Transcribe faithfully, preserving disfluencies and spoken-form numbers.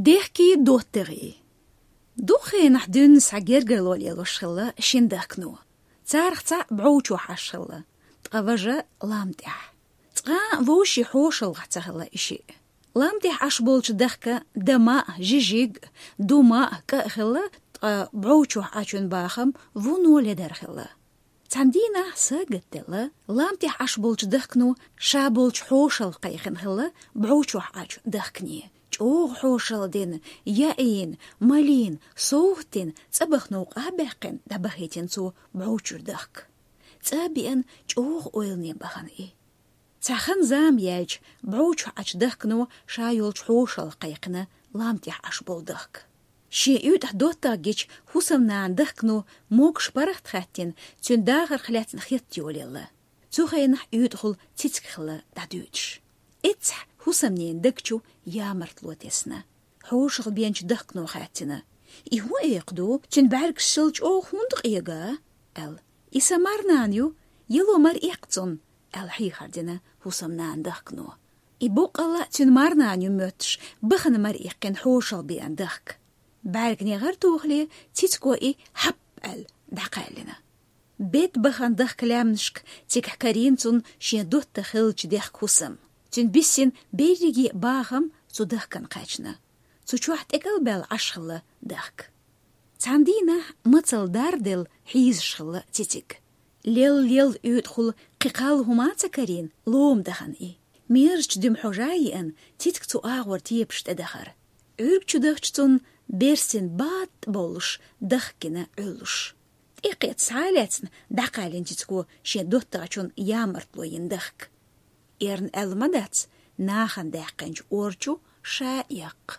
Дехкий доттагӀий. Дукха хенахь дуьйна схьа гергарло лелош хилла шина дахкано. Царах цхьаъ бӀов чохь Ӏаш хилла, ткъа важа лам тӀехь. Цкъа а вовшийн хьошалгӀахь ца хилла и шиъ. Лам тӀехь Ӏаш болчу дахка дама а, жижиг а, дума а, кӀа а хилла, ткъа бӀов чохь Ӏачун бахам вуно ледара хилла. Цхьана дийнахь сагатделла, лам тӀехь Ӏаш болчу дахкано ша болчу хьошалгӀа кхайкхина хилла бӀов чохь Ӏачу дахкане. ЧӀогӀа хьошалла дина, яийна, малийна, совгӀат дина, цӀа баха новкъа а баьккхина, дӀабахийтина цо бӀов чуьра дахка. ЦӀа а беана, чӀогӀа ойлане бахана и. Цхьа хан-зама яьлча, бӀов чохь Ӏачу дахкано ша йолчу хьошалгӀа кхайкхина лам тӀехь Ӏаш болу дахка. Шен уьйтӀахь доттагӀа гича, хӀусамнана дахкано могуш паргӀат хаьттина, цуьнан дахарх лаьцна хетта йолаелла. Цу хенахь уьйтӀахула цициг хилла дӀадуьйцуш. Эццахь хӀусамненан даг чу ямартло тесна. ХьошалгӀа беанчу дахкано хаьттина: «И хӀун экха ду, цуьнан бӀаьргаш шел чӀогӀа хӀунда къега?» — аьлла. «И сан марнана ю, яло мара эккха цунна», — аьлла, хьийхар дина хӀусамнана дахкано. И боккъалла цуьнан марнана ю моьттуш, бахана мара иккхина хьошалгӀа беана дахка. БӀаьргане гӀар тухале, цициго и хьап аьлла дӀакхаьллина. Бед бахана дахка лаьмнашка цигахь карийна цунна шен доттагӀа хиллачу дехка хӀусам. Цуьнан биссина берриге а бахам цу дахкана кхаьчна. Цу чохь тӀекӀалбаьлла Ӏаш хилла дахка. Цхьана дийнахь мацалла дарделла хьийзаш хилла цициг. Лелла-лелла уьйтӀахула кхин кхалла хӀума а ца карийна, лома дахана и. Мерзачу дуьма хьожа а еана, цициг цу агӀор тепаш тӀедахара. Ӏуьрг чу дахча цунна берстина батта бовлуш, дахка гина Ӏуьллуш. ТӀекхетта схьа а лаьцна, дӀакхаьллина цициго шен доттагӀчун ямартло йина дахка. Эрна аьлла ма дац, нахана даьккхинчу ор чу ша а эккха.